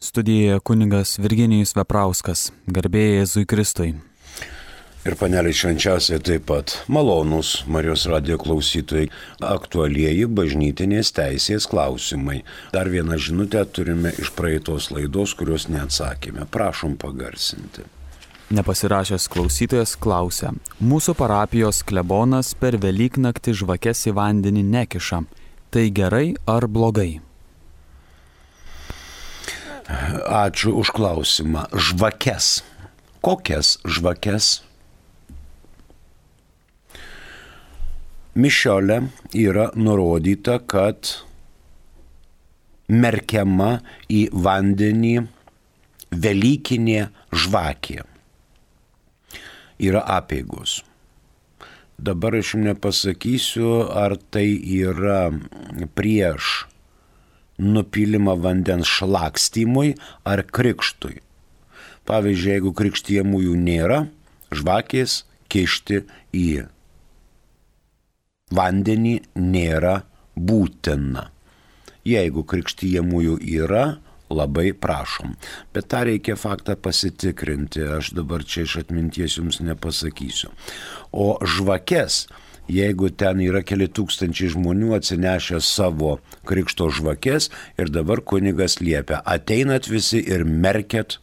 Studijoje kunigas Virginijus Veprauskas, garbė Jėzui Kristui. Ir paneliai švenčiausiai taip pat malonūs Marijos radijo klausytojai, aktualieji bažnytinės teisės klausimai. Dar vieną žinutę turime iš praeitos laidos, kurios neatsakėme. Prašom pagarsinti. Nepasirašęs klausytojas klausia, mūsų parapijos klebonas per Velyknaktį žvakes į vandenį nekiša. Tai gerai ar blogai? Ačiū už klausimą. Žvakes. Kokias žvakes? Mišiole yra nurodyta, kad merkiama į vandenį velykinė žvakė. Yra apeigos. Dabar aš jums nepasakysiu, ar tai yra prieš nupilimą vandens šlakstymui ar krikštui. Pavyzdžiui, jeigu krikštijamųjų nėra, žvakės kišti į vandenį nėra būtina. Jeigu krikštijamųjų yra, labai prašom. Bet tą reikia faktą pasitikrinti, aš dabar čia iš atminties jums nepasakysiu. O žvakes, jeigu ten yra keli tūkstančiai žmonių atsinešę savo krikšto žvakes ir dabar kunigas liepia, ateinat visi ir merkėt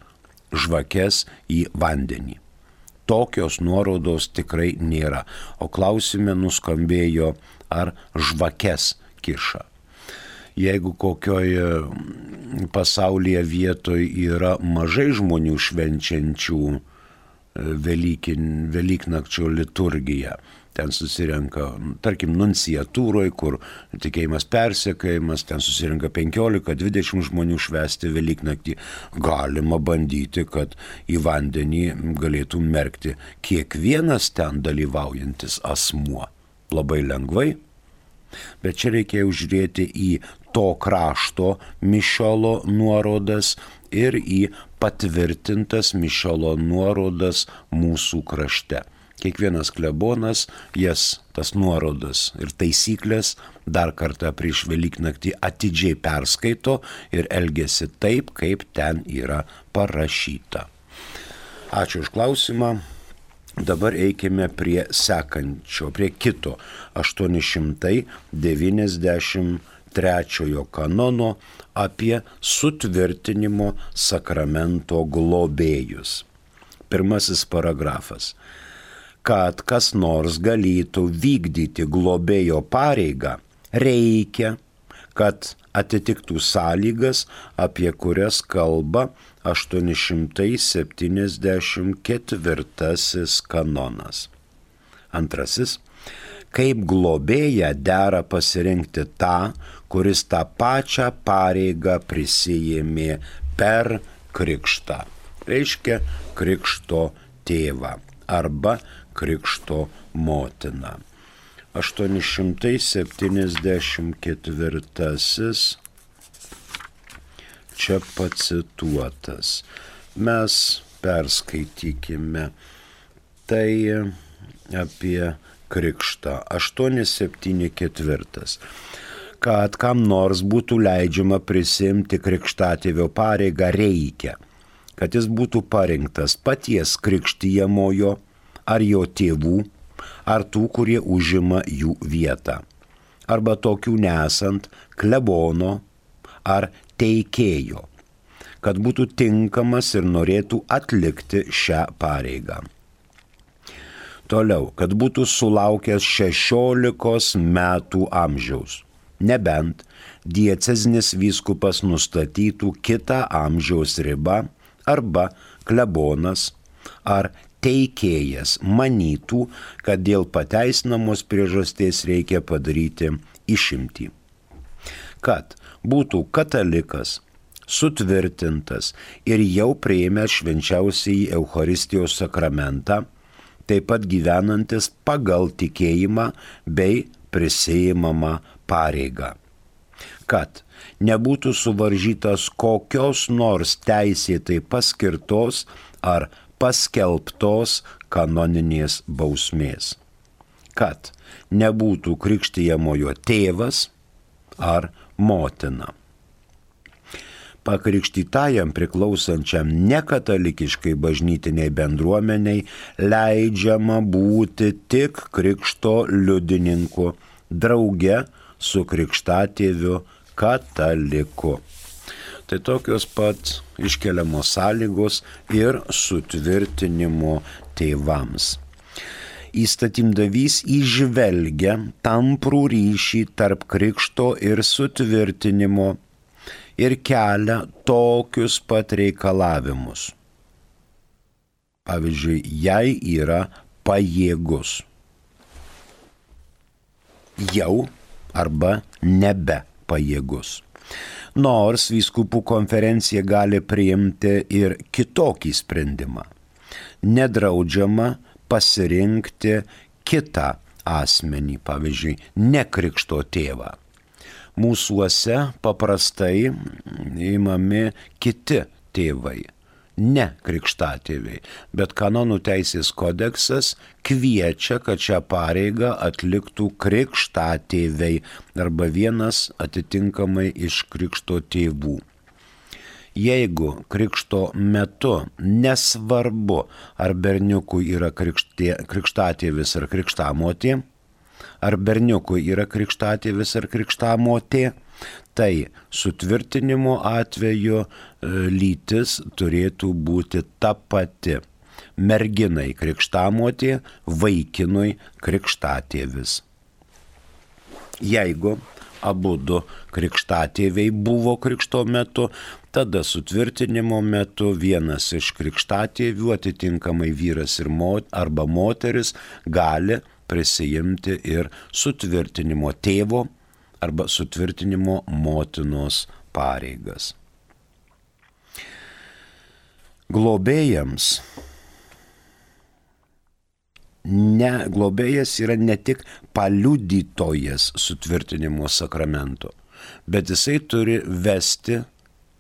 žvakes į vandenį. Tokios nuorodos tikrai nėra. O klausime nuskambėjo, ar žvakes kiša. Jeigu kokioje pasaulyje vietoje yra mažai žmonių švenčiančių Velyknakčio liturgiją, ten susirenka, tarkim, nunciatūroje, kur tikėjimas persekiojimas, ten susirenka 15-20 žmonių švęsti Velyknaktį. Galima bandyti, kad į vandenį galėtų merkti kiekvienas ten dalyvaujantis asmuo. Labai lengvai. Bet čia reikėjo žiūrėti į to krašto mišiolo nuorodas ir į patvirtintas mišiolo nuorodas mūsų krašte. Kiekvienas klebonas tas nuorodas ir taisyklės dar kartą prieš Velyknaktį atidžiai perskaito ir elgiasi taip, kaip ten yra parašyta. Ačiū už klausimą. Dabar eikime prie sekančio, prie kito 893 kanono apie sutvirtinimo sakramento globėjus. Pirmasis paragrafas. Kad kas nors galėtų vykdyti globėjo pareigą, reikia, kad atitiktų sąlygas, apie kurias kalba 874 kanonas. Antrasis. Kaip globėją dera pasirinkti tą, kuris tą pačią pareigą prisijėmė per krikštą. Reiškia krikšto tėvą arba krikšto motiną. 874 čia pacituotas. Mes perskaitykime tai apie krikštą. 874. Kad kam nors būtų leidžiama prisimti krikštatėvio pareigą, reikia, kad jis būtų parinktas paties krikštijamojo ar jo tėvų, ar tų, kurie užima jų vietą, arba tokių nesant klebono ar teikėjo, kad būtų tinkamas ir norėtų atlikti šią pareigą. Toliau, kad būtų sulaukęs 16 metų amžiaus, nebent diecezinis vyskupas nustatytų kitą amžiaus ribą arba klebonas ar teikėjas manytų, kad dėl pateisinamos priežasties reikia padaryti išimtį. Kad būtų katalikas, sutvirtintas ir jau priėmęs švenčiausiąjį Eucharistijos sakramentą, taip pat gyvenantis pagal tikėjimą bei prisiimamą pareigą. Kad nebūtų suvaržytas kokios nors teisėtai paskirtos ar paskelbtos kanoninės bausmės. Kad nebūtų krikštijamojo tėvas ar motina. pakrikštytajam priklausančiam nekatalikiškai bažnytiniai bendruomeniai leidžiama būti tik krikšto liudininku, drauge su krikštatėviu kataliku. Tai tokios pat iškeliamos sąlygos ir sutvirtinimo tėvams. Įstatymdavys įžvelgia tamprų ryšį tarp krikšto ir sutvirtinimo ir kelia tokius pat reikalavimus. Pavyzdžiui, jei yra pajėgus, jau arba nebe pajėgus. Nors vyskupų konferencija gali priimti ir kitokį sprendimą. Nedraudžiama pasirinkti kitą asmenį, pavyzdžiui, ne krikšto tėvą. Mūsuose paprastai imami kiti tėvai, ne krikštatėviai, bet kanonų teisės kodeksas kviečia, kad šią pareigą atliktų krikštatėviai arba vienas atitinkamai iš krikšto tėvų. Jeigu krikšto metu nesvarbu, ar berniukui yra krikštatėvis ar krikštamotė, ar berniukui yra krikštatėvis ar krikštamotė, tai sutvirtinimo atveju lytis turėtų būti ta pati. Merginai krikštamotė, vaikinui krikštatėvis. Jeigu abudu krikštatėviai buvo krikšto metu, tada sutvirtinimo metu vienas iš krikštatėvių, atitinkamai vyras arba moteris, gali prisijimti ir sutvirtinimo tėvo arba sutvirtinimo motinos pareigas. Globėjams globėjas yra ne tik paliudytojas sutvirtinimo sakramento, bet jisai turi vesti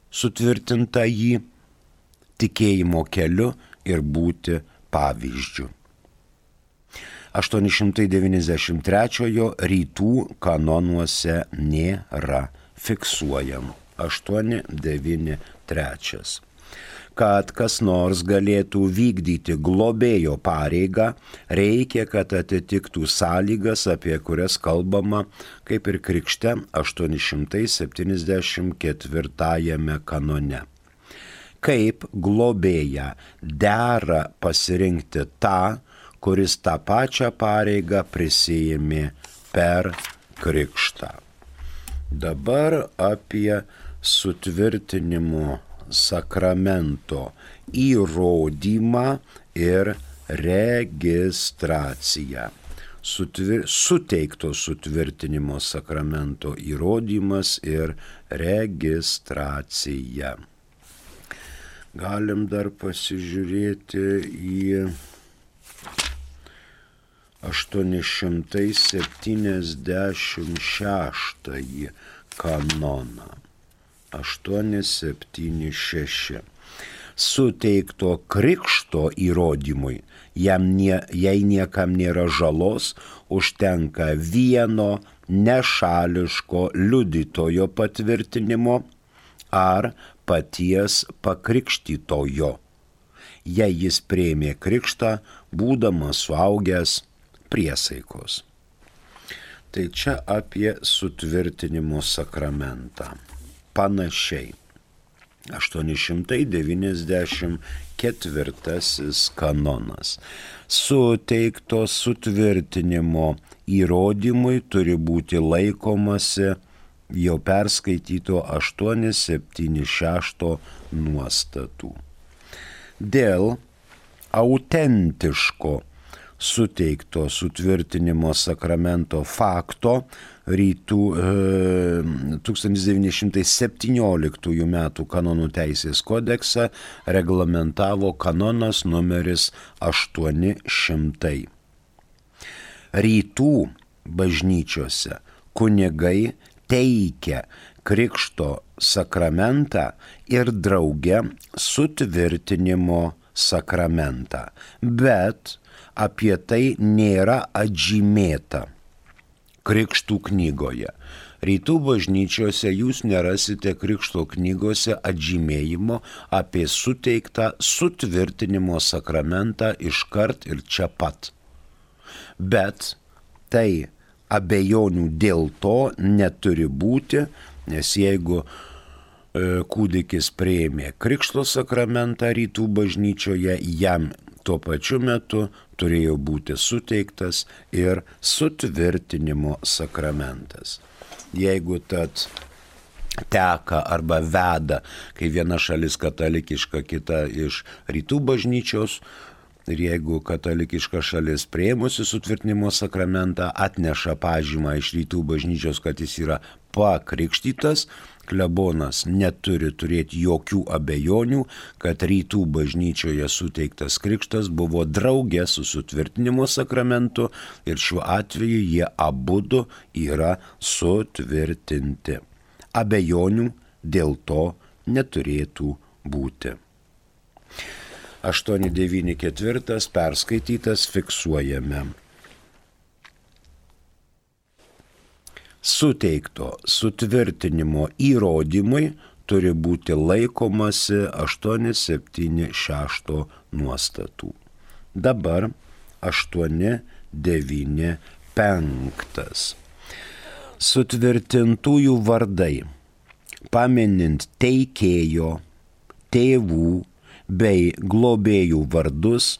sutvirtintąjį tikėjimo keliu ir būti pavyzdžiu. 893 rytų kanonuose nėra fiksuojama. 893. Kad kas nors galėtų vykdyti globėjo pareigą, reikia, kad atitiktų sąlygas, apie kurias kalbama, kaip ir krikšte 874 kanone. Kaip globėją dera pasirinkti tą, kuris tą pačią pareigą prisijėmė per krikštą. Dabar apie sutvirtinimo sakramento įrodymą ir registraciją. Suteikto sutvirtinimo sakramento įrodymas ir registracija. Galim dar pasižiūrėti į 876 kanoną. 876. Suteikto krikšto įrodymui, jei niekam nėra žalos, užtenka vieno nešališko liudytojo patvirtinimo ar paties pakrikštytojo, jei jis priėmė krikštą, būdamas suaugęs priesaikos. Tai čia apie sutvirtinimo sakramentą. Panašiai. 894 kanonas. Suteikto sutvirtinimo įrodymui turi būti laikomasi jau perskaityto 876 nuostatų. Dėl autentiško suteikto sutvirtinimo sakramento fakto rytų 1917 metų kanonų teisės kodeksą reglamentavo kanonas numeris 800. Rytų bažnyčiose kunigai teikia krikšto sakramentą ir drauge sutvirtinimo sakramentą, bet apie tai nėra atžymėta krikštų knygoje. Rytų bažnyčiose jūs nerasite krikšto knygose atžymėjimo apie suteiktą sutvirtinimo sakramentą iškart ir čia pat. Bet tai abejonių dėl to neturi būti, nes jeigu kūdikis priėmė krikšto sakramentą rytų bažnyčioje, jam tuo pačiu metu turėjo būti suteiktas ir sutvirtinimo sakramentas. Jeigu tad teka arba veda, kai viena šalis katalikiška, kita iš rytų bažnyčios, ir jeigu katalikiška šalis priėmusi sutvirtinimo sakramentą atneša pažymą iš rytų bažnyčios, kad jis yra pakrikštytas, klebonas neturi turėti jokių abejonių, kad rytų bažnyčioje suteiktas krikštas buvo drauge su sutvirtinimo sakramentu ir šiuo atveju jie abudu yra sutvirtinti. Abejonių dėl to neturėtų būti. 894 perskaitytas, fiksuojame. Suteikto sutvirtinimo įrodymui turi būti laikomasi 876 nuostatų. Dabar 895. Sutvirtintųjų vardai, paminint teikėjo, tėvų bei globėjų vardus,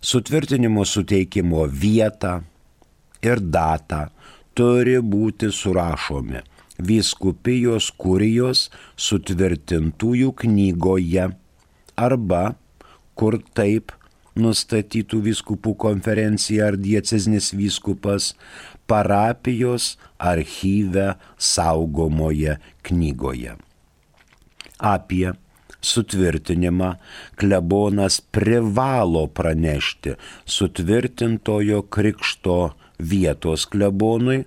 sutvirtinimo suteikimo vietą ir datą turi būti surašomi vyskupijos kurijos sutvirtintųjų knygoje arba, kur taip nustatytų vyskupų konferencija ar dieceznis vyskupas, parapijos archyve saugomoje knygoje. Apie sutvirtinimą klebonas privalo pranešti sutvirtintojo krikšto vietos klebonui,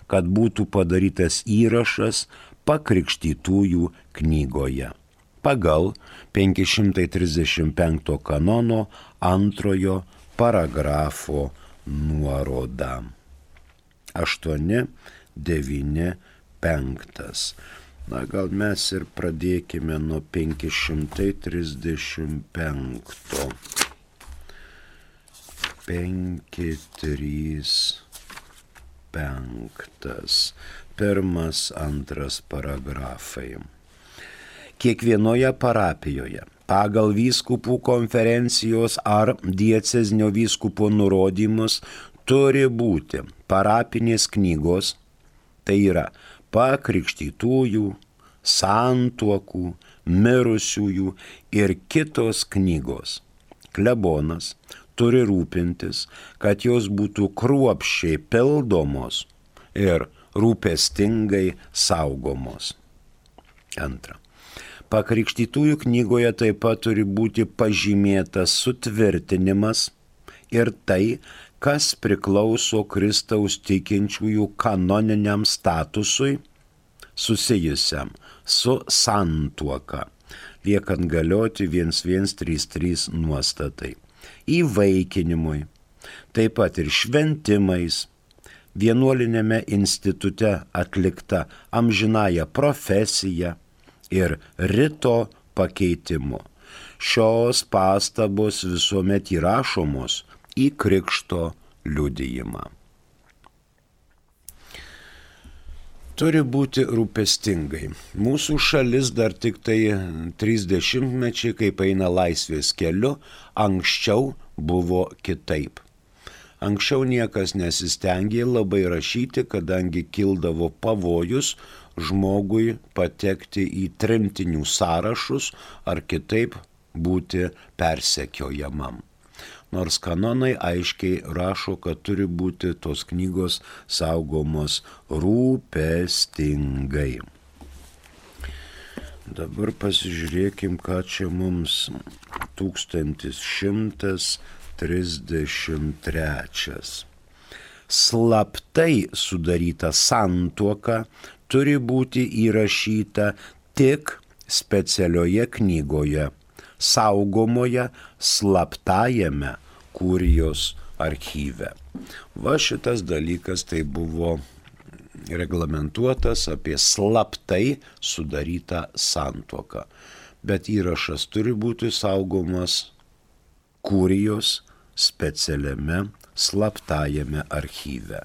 kad būtų padarytas įrašas pakrikštytųjų knygoje pagal 535 kanono 2 paragrafo nuorodą. 895. Na, gal mes ir pradėkime nuo 535. 535. 1-2 paragrafai. Kiekvienoje parapijoje pagal vyskupų konferencijos ar diecezinio vyskupo nurodymus turi būti parapinės knygos, tai yra pakrikštytųjų, santuokų, mirusiųjų ir kitos knygos. Klebonas turi rūpintis, kad jos būtų kruopščiai pildomos ir rūpestingai saugomos. Antra. Pakrikštytųjų knygoje taip pat turi būti pažymėtas sutvirtinimas ir tai, kas priklauso Kristaus tikinčiųjų kanoniniam statusui susijusiam su santuoka, liekant galioti 1133 nuostatai, įvaikinimui, taip pat ir šventimais, vienuolinėme institute atlikta amžinąja profesija ir rito pakeitimu. Šios pastabos visuomet įrašomos į krikšto liudijimą. Turi būti rūpestingai. Mūsų šalis dar tik tai 30 mečiai, kaip eina laisvės keliu, anksčiau buvo kitaip. Anksčiau niekas nesistengė labai rašyti, kadangi kildavo pavojus žmogui patekti į tremtinių sąrašus ar kitaip būti persekiojamam. Nors kanonai aiškiai rašo, kad turi būti tos knygos saugomos rūpestingai. Dabar pasižiūrėkim, ką čia mums 1133. Slaptai sudaryta santuoka turi būti įrašyta tik specialioje knygoje, saugomoje slaptajame kurijos archyve. Va šitas dalykas tai buvo reglamentuotas apie slaptai sudarytą santuoką. Bet įrašas turi būti saugomas kurijos specialiame slaptajame archyve.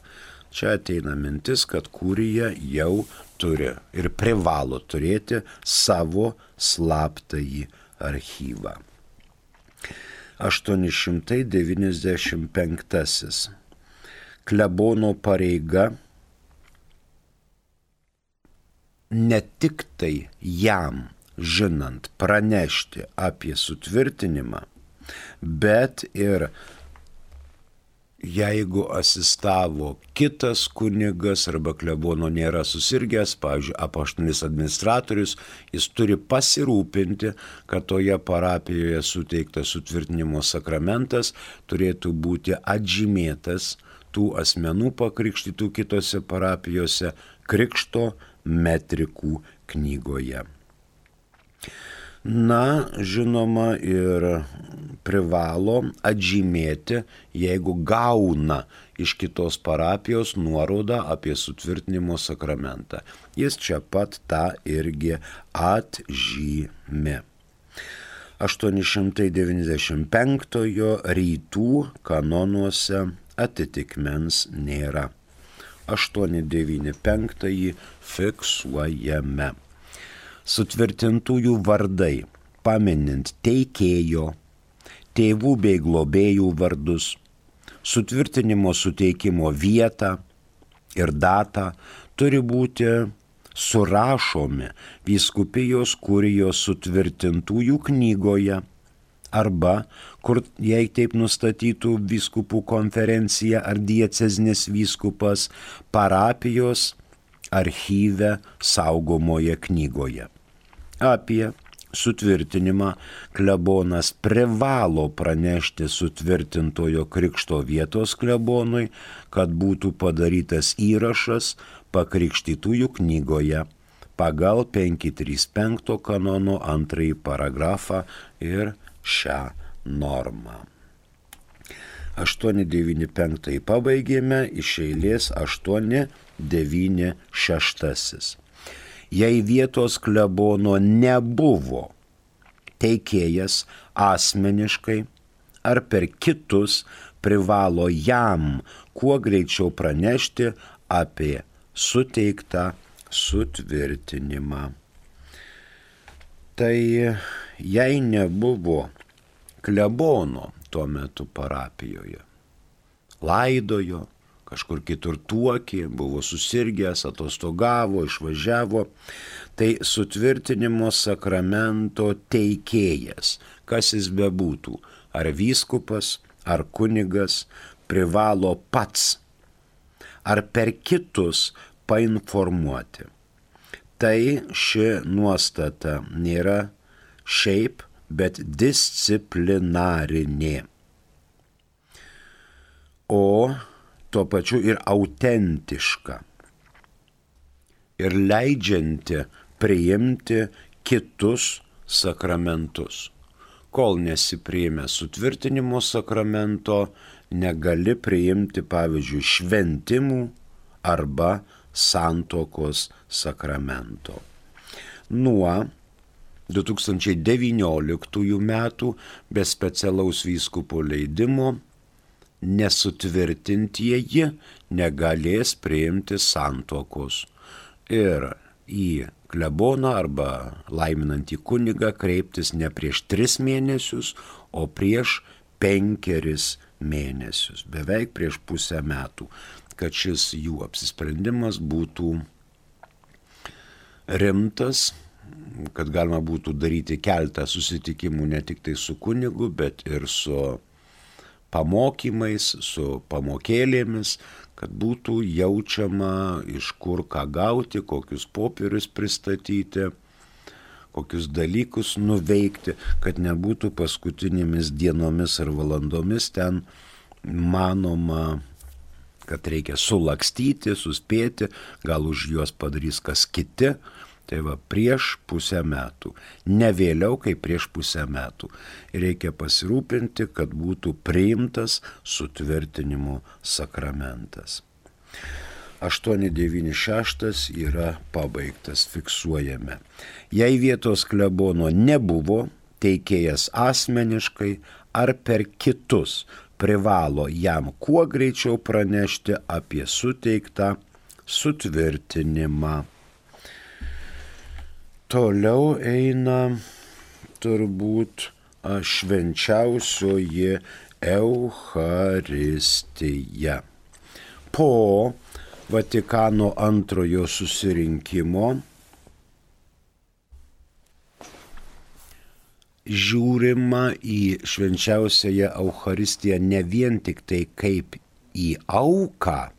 Čia ateina mintis, kad kurija jau turi ir privalo turėti savo slaptąjį archyvą. 895. Klebono pareiga ne tik tai jam žinant pranešti apie sutvirtinimą, bet ir jeigu asistavo kitas kunigas arba klebono nėra susirgęs, pavyzdžiui, apaštalinis administratorius, jis turi pasirūpinti, kad toje parapijoje suteiktas sutvirtinimo sakramentas turėtų būti atžymėtas tų asmenų pakrikštytų kitose parapijose krikšto metrikų knygoje. Na, žinoma, ir privalo atžymėti, jeigu gauna iš kitos parapijos nuorodą apie sutvirtinimo sakramentą. Jis čia pat tą irgi atžymi. 895 rytų kanonuose atitikmens nėra. 895 fiksuojame. Sutvirtintųjų vardai, paminint teikėjo, tėvų bei globėjų vardus, sutvirtinimo suteikimo vietą ir datą turi būti surašomi vyskupijos kurijos sutvirtintųjų knygoje arba, kur jei taip nustatytų vyskupų konferencija ar diecezinis vyskupas, parapijos archyve saugomoje knygoje. Apie sutvirtinimą klebonas privalo pranešti sutvirtintojo krikšto vietos klebonui, kad būtų padarytas įrašas pakrikštytųjų knygoje pagal 535 kanono 2 paragrafą ir šią normą. 895 pabaigėme, iš eilės 896. Jei vietos klebono nebuvo teikėjas asmeniškai ar per kitus, privalo jam kuo greičiau pranešti apie suteiktą sutvirtinimą. Tai jei nebuvo klebono tuo metu parapijoje, laidojo, kažkur kitur tuokė, buvo susirgęs, atostogavo, išvažiavo, tai sutvirtinimo sakramento teikėjas, kas jis bebūtų, ar vyskupas, ar kunigas, privalo pats, ar per kitus painformuoti. Tai ši nuostata nėra šiaip, bet disciplinarinė. O tuo pačiu ir autentiška ir leidžianti priimti kitus sakramentus. Kol nesipriėmė sutvirtinimo sakramento, negali priimti, pavyzdžiui, šventimų arba santuokos sakramento. Nuo 2019 metų be specialaus vyskupo leidimo nesutvirtintieji negalės priimti santuokos ir į kleboną arba laiminantį kunigą kreiptis ne prieš 3 mėnesius, o prieš 5 mėnesius, beveik prieš pusę metų, kad šis jų apsisprendimas būtų rimtas, kad galima būtų daryti keletą susitikimų ne tik tai su kunigu, bet ir su pamokymais, su pamokėlėmis, kad būtų jaučiama, iš kur ką gauti, kokius popierius pristatyti, kokius dalykus nuveikti, kad nebūtų paskutinėmis dienomis ar valandomis ten manoma, kad reikia sulakstyti, suspėti, gal už juos padarys kas kiti. Tai va, prieš pusę metų, ne vėliau kaip prieš pusę metų. Reikia pasirūpinti, kad būtų priimtas sutvirtinimo sakramentas. 896 yra pabaigtas, fiksuojame. Jei vietos klebono nebuvo, teikėjas asmeniškai ar per kitus privalo jam kuo greičiau pranešti apie suteiktą sutvirtinimą. Toliau eina turbūt švenčiausioji Eucharistija. Po Vatikano antrojo susirinkimo žiūrima į švenčiausiąją Eucharistiją ne vien tik tai kaip į auką,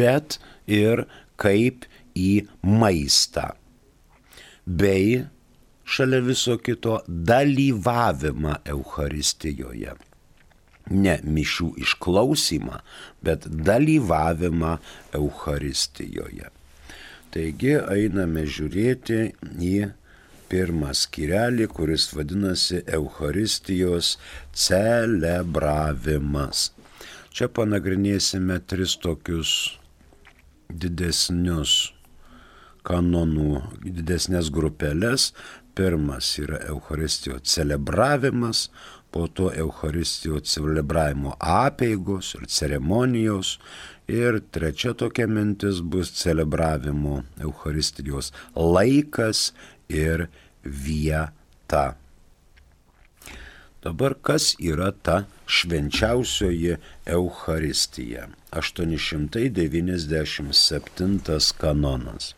bet ir kaip į maistą, bei šalia viso kito dalyvavimą Eucharistijoje. Ne mišių išklausymą, bet dalyvavimą Eucharistijoje. Taigi einame žiūrėti į pirmą skyrelį, kuris vadinasi Eucharistijos celebravimas. Čia panagrinėsime 3 tokius didesnius kanonų, didesnės grupelės. Pirmas yra Eucharistijos celebravimas, po to Eucharistijos celebravimo apeigos ir ceremonijos. Ir trečia tokia mintis bus celebravimo Eucharistijos laikas ir vieta. Dabar kas yra ta švenčiausioji Eucharistija? 897 kanonas.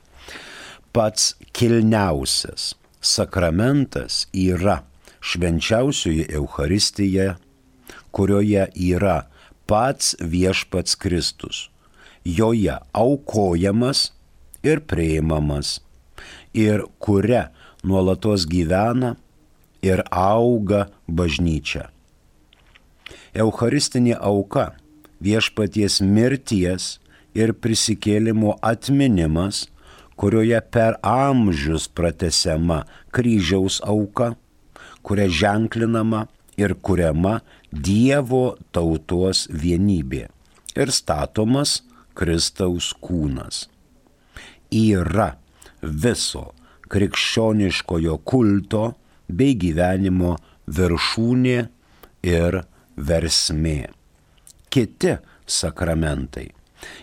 Pats kilniausias sakramentas yra švenčiausioji Eucharistija, kurioje yra pats viešpats Kristus, joje aukojamas ir priimamas, ir kuria nuolatos gyvena ir auga bažnyčia. Eucharistinė auka, viešpaties mirties ir prisikėlimo atminimas, kurioje per amžius pratęsiama kryžiaus auka, kuria ženklinama ir kuriama Dievo tautos vienybė ir statomas Kristaus kūnas. Yra viso krikščioniškojo kulto bei gyvenimo viršūnė ir versmė. Kiti sakramentai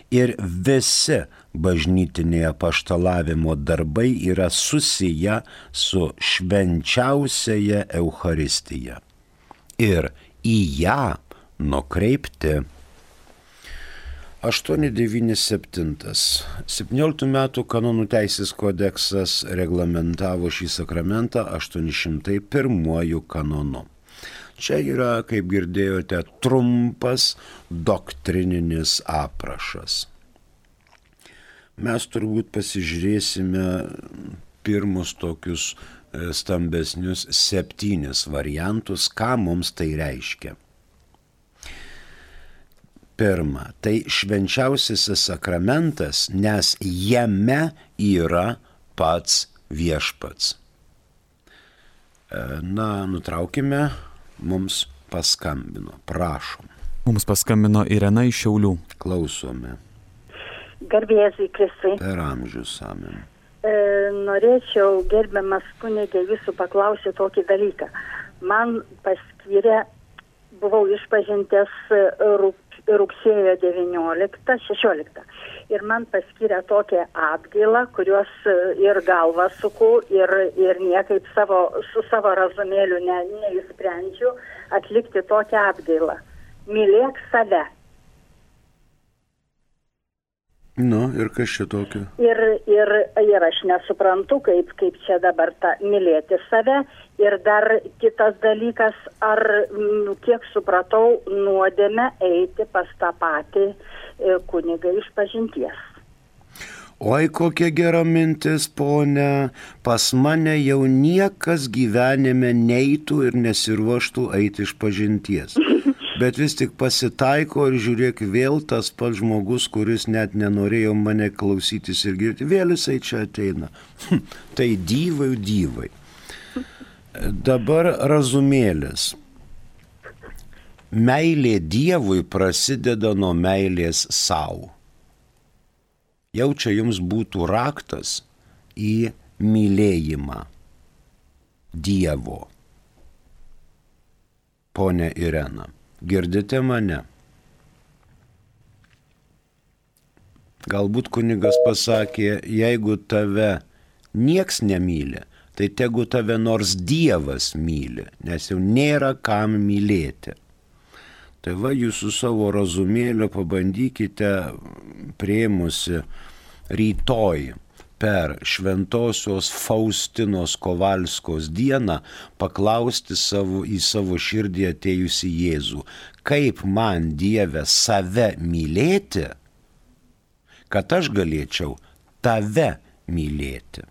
ir visi bažnytinėje apaštalavimo darbai yra susiję su švenčiausiaja Eucharistija ir į ją nukreipti. 897. 17 metų kanonų teisės kodeksas reglamentavo šį sakramentą 801 kanonu. Čia yra, kaip girdėjote, trumpas doktrininis aprašas. Mes turbūt pasižiūrėsime pirmus tokius stambesnius 7 variantus, ką mums tai reiškia. Pirma, tai švenčiausiasis sakramentas, nes jame yra pats viešpats. Nutraukime, mums paskambino, prašom. Mums paskambino Irena iš Šiaulių. Klausome. Garbė Jėzui Kristui. Per amžius, amen. Norėčiau, gerbiamas kunige, jūsų paklausyti tokį dalyką. Man paskyrė, buvau išpažintęs rugsėjo 16. Ir man paskyrė tokią atgailą, kurios ir galvą suku, ir niekaip su savo razumėliu neįsprendžiu atlikti tokią atgailą. Mylėk save. Ir kas čia tokio? Ir aš nesuprantu, kaip čia dabar mylėti save. Ir dar kitas dalykas, ar, kiek supratau, nuodėmę eiti pas tą patį kunigą išpažinties. Oi, kokia gera mintis, ponia. Pas mane jau niekas gyvenime neitų ir nesiruoštų eiti išpažinties. Bet vis tik pasitaiko ir žiūrėk, vėl tas pats žmogus, kuris net nenorėjo mane klausytis ir girdėti, vėl jisai čia ateina. Tai dyvai. Dabar razumėlis. Meilė Dievui prasideda nuo meilės sau. jau čia jums būtų raktas į mylėjimą Dievo. Ponia Irena, girdite mane? Galbūt kunigas pasakė, jeigu tave nieks nemyli, tai tegu tave nors Dievas myli, nes jau nėra kam mylėti. Tai va, jūs su savo razumėliu pabandykite priėmusi rytoj per Šventosios Faustinos Kovalskos dieną paklausti į savo širdį atėjusi Jėzų, kaip man Dieve save mylėti, kad aš galėčiau tave mylėti.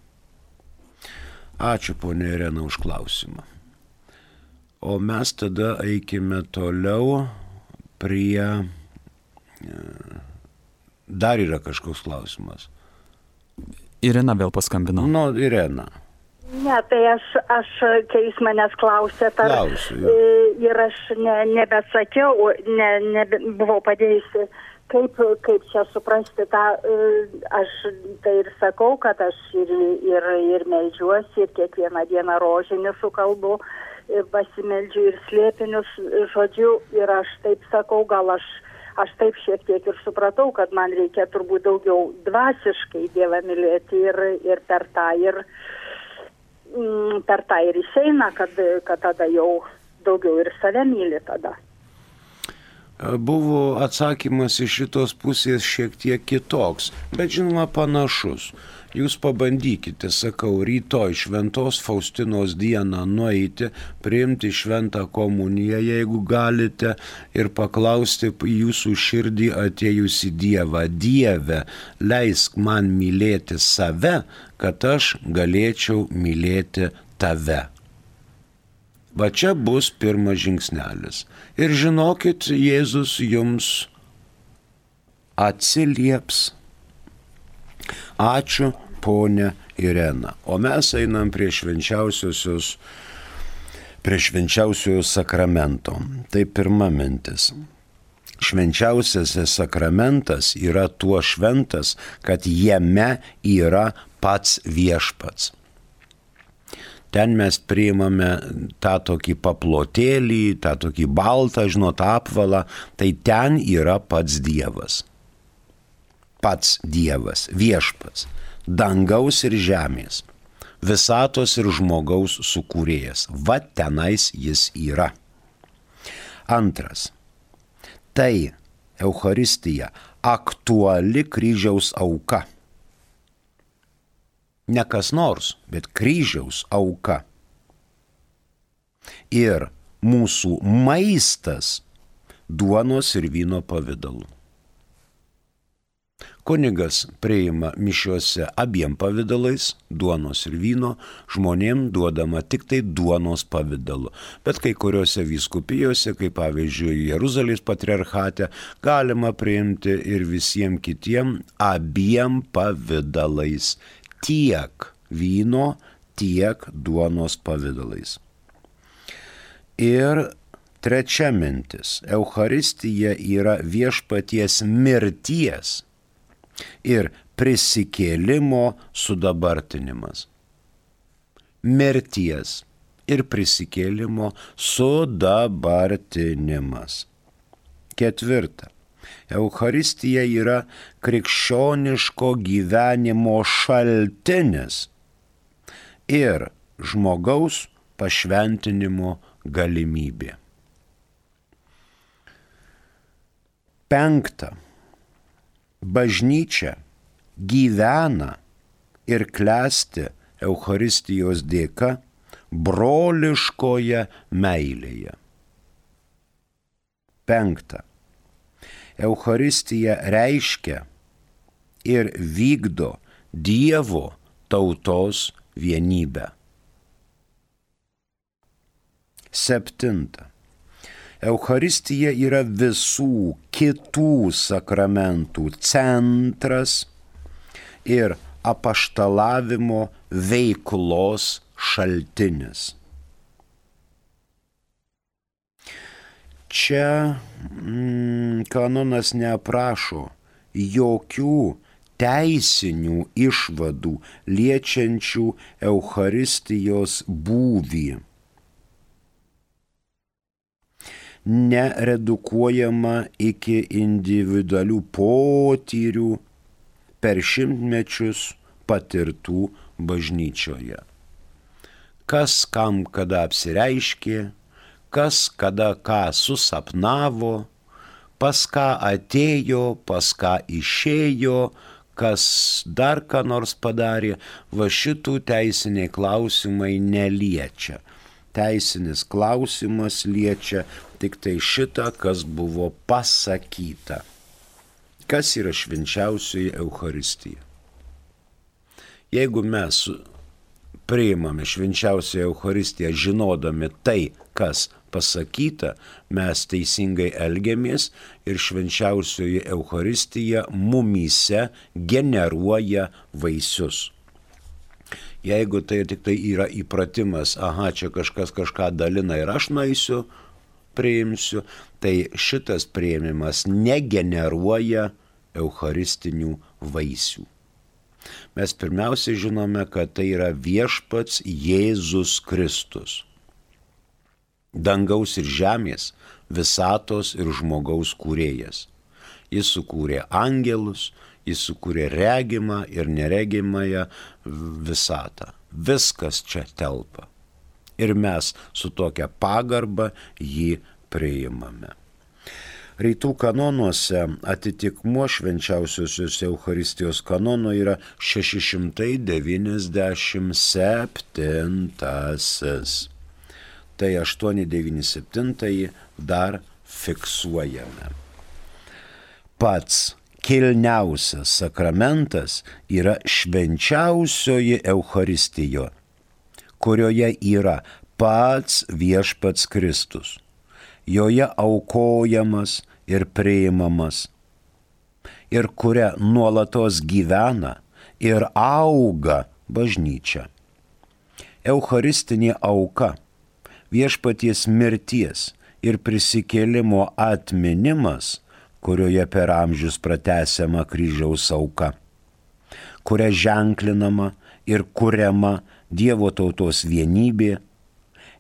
Ačiū, ponia Irena, už klausimą. O mes tada eikime toliau prie... Dar yra kažkoks klausimas. Irena vėl paskambino. Nu, Irena. Ne, tai aš kai jūs manęs klausėte, ir aš nebesakiau, nebuvau padėjusi, kaip čia suprasti tą, aš tai ir sakau, kad aš ir meldžiuosi, ir kiekvieną dieną rožinį sukalbu, pasimeldžiu ir slėpinius, žodžiu, ir aš taip sakau, gal aš taip šiek tiek ir supratau, kad man reikia turbūt daugiau dvasiškai Dievą mylėti ir per tą ir išeina, kad tada jau daugiau ir save myli tada. Buvo atsakymas iš šitos pusės šiek tiek kitoks, bet žinoma panašus. Jūs pabandykite, sakau, rytoj Šventos Faustinos dieną nueiti, priimti šventą komuniją, jeigu galite, ir paklausti jūsų širdį atėjusi Dievą. Dieve, leisk man mylėti save, kad aš galėčiau mylėti tave. Va čia bus pirmas žingsnelis. Ir žinokit, Jėzus jums atsilieps. Ačiū, ponia Irena. O mes einam prie švenčiausiojo sakramento. Tai pirma mintis. Švenčiausiasis sakramentas yra tuo šventas, kad jame yra pats viešpats. Ten mes priimame tą tokį paplotėlį, tą tokį baltą, apvalą, tai ten yra pats Dievas. Pats Dievas, viešpats, dangaus ir žemės, visatos ir žmogaus sukūrėjas. Va tenais jis yra. Antras. Tai Eucharistija, aktuali kryžiaus auka. Ne kas nors, bet kryžiaus auka. Ir mūsų maistas duonos ir vyno pavidalu. Kunigas priima mišiuose abiem pavidalais, duonos ir vyno, žmonėm duodama tik tai duonos pavidalu. Bet kai kuriuose vyskupijose, kaip pavyzdžiui Jeruzalės patriarchate, galima priimti ir visiems kitiem abiem pavidalais. Tiek vyno, tiek duonos pavidalais. Ir trečia mintis. Eucharistija yra viešpaties mirties ir prisikėlimo sudabartinimas. Mirties ir prisikėlimo sudabartinimas. Ketvirta. Eucharistija yra krikščioniško gyvenimo šaltinis ir žmogaus pašventinimo galimybė. Penkta. Bažnyčia gyvena ir klesti Eucharistijos dėka broliškoje meilėje. Penkta. Eucharistija reiškia ir vykdo Dievo tautos vienybę. Septinta. Eucharistija yra visų kitų sakramentų centras ir apaštalavimo veiklos šaltinis. Čia kanonas neaprašo jokių teisinių išvadų liečiančių Eucharistijos būvį. Neredukuojama iki individualių potyrių per šimtmečius patirtų bažnyčioje. Kas kam kada apsireiškė, kas kada ką susapnavo, pas ką atėjo, pas ką išėjo, kas dar ką nors padarė, va šitų teisiniai klausimai neliečia. Teisinis klausimas liečia tik tai šitą, kas buvo pasakyta. Kas yra švenčiausioji Eucharistija? Jeigu mes priimame švenčiausią Eucharistiją žinodami tai, kas pasakyta, mes teisingai elgiamės ir švenčiausioji Eucharistija mumyse generuoja vaisius. Jeigu tai tik tai yra įpratimas, aha, čia kažkas kažką dalina ir aš nueisiu, priimsiu, tai šitas priėmimas negeneruoja eucharistinių vaisių. Mes pirmiausia žinome, kad tai yra viešpats Jėzus Kristus. Dangaus ir žemės, visatos ir žmogaus kūrėjas. Jis sukūrė angelus, jis sukūrė regimą ir neregimąją visatą. Viskas čia telpa. Ir mes su tokia pagarba jį priimame. Rytų kanonuose atitikmuo švenčiausiosios Eucharistijos kanono yra 697. Tai 897 dar fiksuojame. Pats kilniausias sakramentas yra švenčiausioji Eucharistijo, kurioje yra pats viešpats Kristus. Joje aukojamas ir priimamas, ir kuria nuolatos gyvena ir auga bažnyčia. Eucharistinė auka, viešpaties mirties ir prisikėlimo atminimas, kurioje per amžius pratęsiama kryžiaus auka, kuria ženklinama ir kuriama Dievo tautos vienybė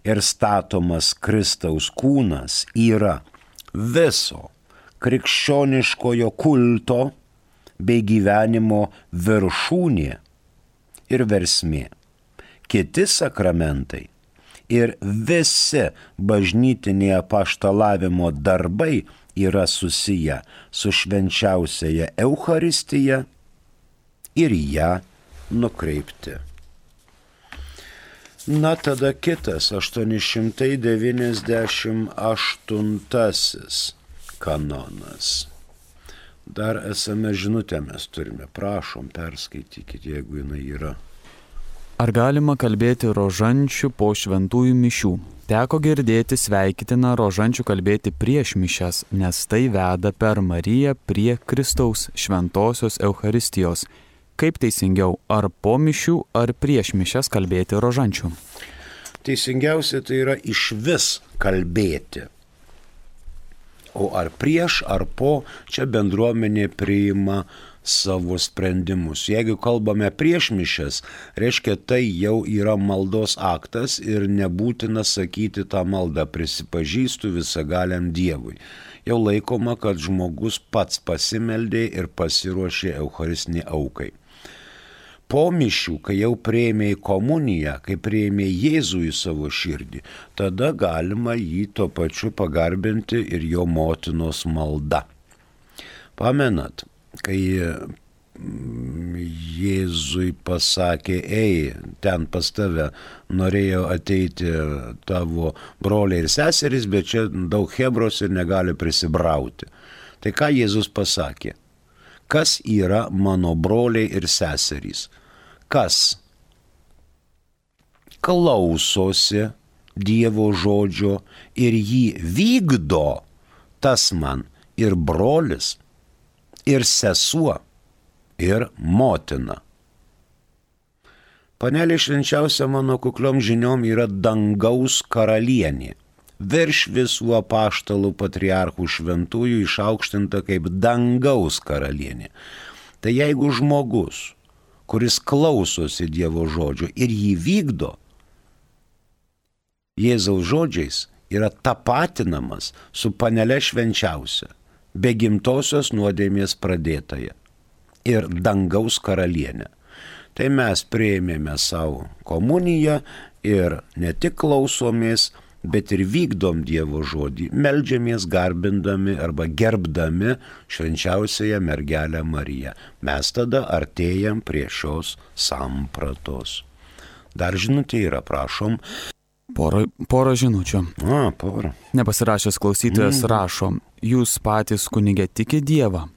ir statomas Kristaus kūnas, yra viso krikščioniškojo kulto bei gyvenimo viršūnė ir versmė. Kiti sakramentai ir visi bažnytiniai apaštalavimo darbai yra susiję su švenčiausiaja Eucharistija ir ją nukreipti. Na tada kitas 898 kanonas. Dar esame žinutę mes turime, prašom perskaitykit, jeigu jinai yra. Ar galima kalbėti rožančių po šventųjų mišių? Teko girdėti sveikitina rožančių kalbėti prieš mišias, nes tai veda per Mariją prie Kristaus šventosios Eucharistijos. Kaip teisingiau, ar po mišių, ar prieš mišias kalbėti rožančių? Teisingiausia tai yra išvis kalbėti. O ar prieš, ar po, čia bendruomenė priima savo sprendimus. Jeigu kalbame prieš mišias, reiškia tai jau yra maldos aktas ir nebūtina sakyti tą maldą prisipažįstu visagaliam Dievui. Jau laikoma, kad žmogus pats pasimeldė ir pasiruošė eucharistiniai aukai. Po mišių, kai jau priėmė į komuniją, kai priėmė Jėzų į savo širdį, tada galima jį tuo pačiu pagarbinti ir jo motinos malda. Pamenat, kai Jėzui pasakė, ei, ten pas tave norėjo ateiti tavo broliai ir seserys, bet čia daug hebros ir negali prisibrauti. Tai ką Jėzus pasakė? Kas yra mano broliai ir seserys? Kas klausosi Dievo žodžio ir jį vykdo, tas man ir brolis, ir sesuo, ir motina. Panelė švenčiausia mano kukliom žiniom yra dangaus karalienė. Virš visų apaštalų patriarchų šventųjų išaukštinta kaip dangaus karalienė. Tai jeigu žmogus, kuris klausosi Dievo žodžio ir jį vykdo, Jėzaus žodžiais yra tapatinamas su panele švenčiausia, be gimtosios nuodėmės pradėtąja ir dangaus karalienė. Tai mes priėmėme savo komuniją ir ne tik klausomės, bet ir vykdom Dievo žodį, meldžiamės garbindami arba gerbdami švenčiausiąją mergelę Mariją. Mes tada artėjam prie šios sampratos. Dar žinutė yra, prašom. Porą žinučių. Porą. Nepasirašęs klausytojas rašo, jūs patys kunige tiki Dievą.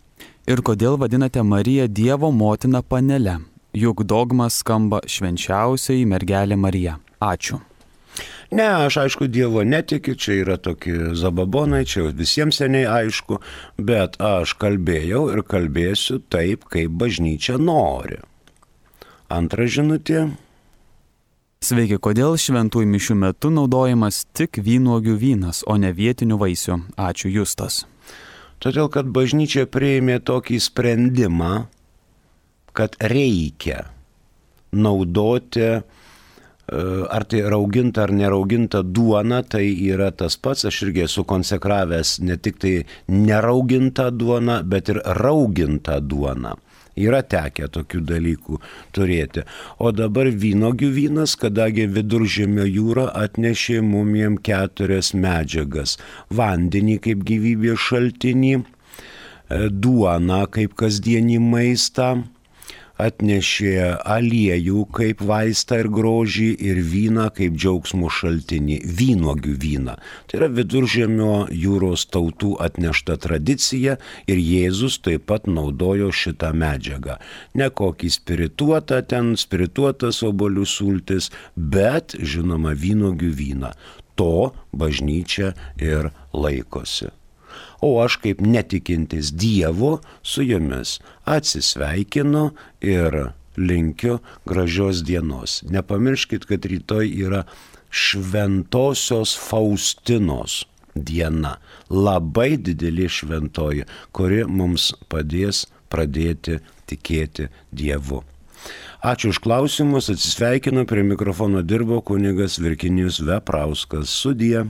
Ir kodėl vadinate Mariją Dievo motiną panele? Juk dogmas skamba švenčiausiai mergelė Marija. Ačiū. Ne, aš aišku Dievo netikiu, čia yra tokie zababonai, čia visiems seniai aišku, bet aš kalbėjau ir kalbėsiu taip, kaip bažnyčia nori. Antra žinutė. Sveiki, kodėl šventųjų mišių metu naudojamas tik vynuogių vynas, o ne vietinių vaisių? Ačiū, Justas. Todėl, kad bažnyčia priėmė tokį sprendimą, kad reikia naudoti ar tai rauginta ar nerauginta duona, tai yra tas pats, aš irgi esu konsekravęs ne tik tai neraugintą duoną, bet ir raugintą duoną. Yra tekę tokių dalykų turėti. O dabar vynuogių vynas, kadangi Viduržemio jūra atnešė mum 4 medžiagas. Vandenį kaip gyvybės šaltinį, duoną kaip kasdienį maistą, atnešė aliejų kaip vaistą ir grožį ir vyną kaip džiaugsmo šaltinį, vynuogių vyną. Tai yra Viduržemio jūros tautų atnešta tradicija ir Jėzus taip pat naudojo šitą medžiagą. Ne kokį spirituotas obuolių sultis, bet žinoma vynuogių vyną. To bažnyčia ir laikosi. O aš kaip netikintis Dievu su jumis atsisveikinu ir linkiu gražios dienos. Nepamirškit, kad rytoj yra Šventosios Faustinos diena. Labai didelė šventoji, kuri mums padės pradėti tikėti Dievu. Ačiū už klausimus, atsisveikinu, prie mikrofono dirbo kunigas Virginijus Veprauskas. Sudie.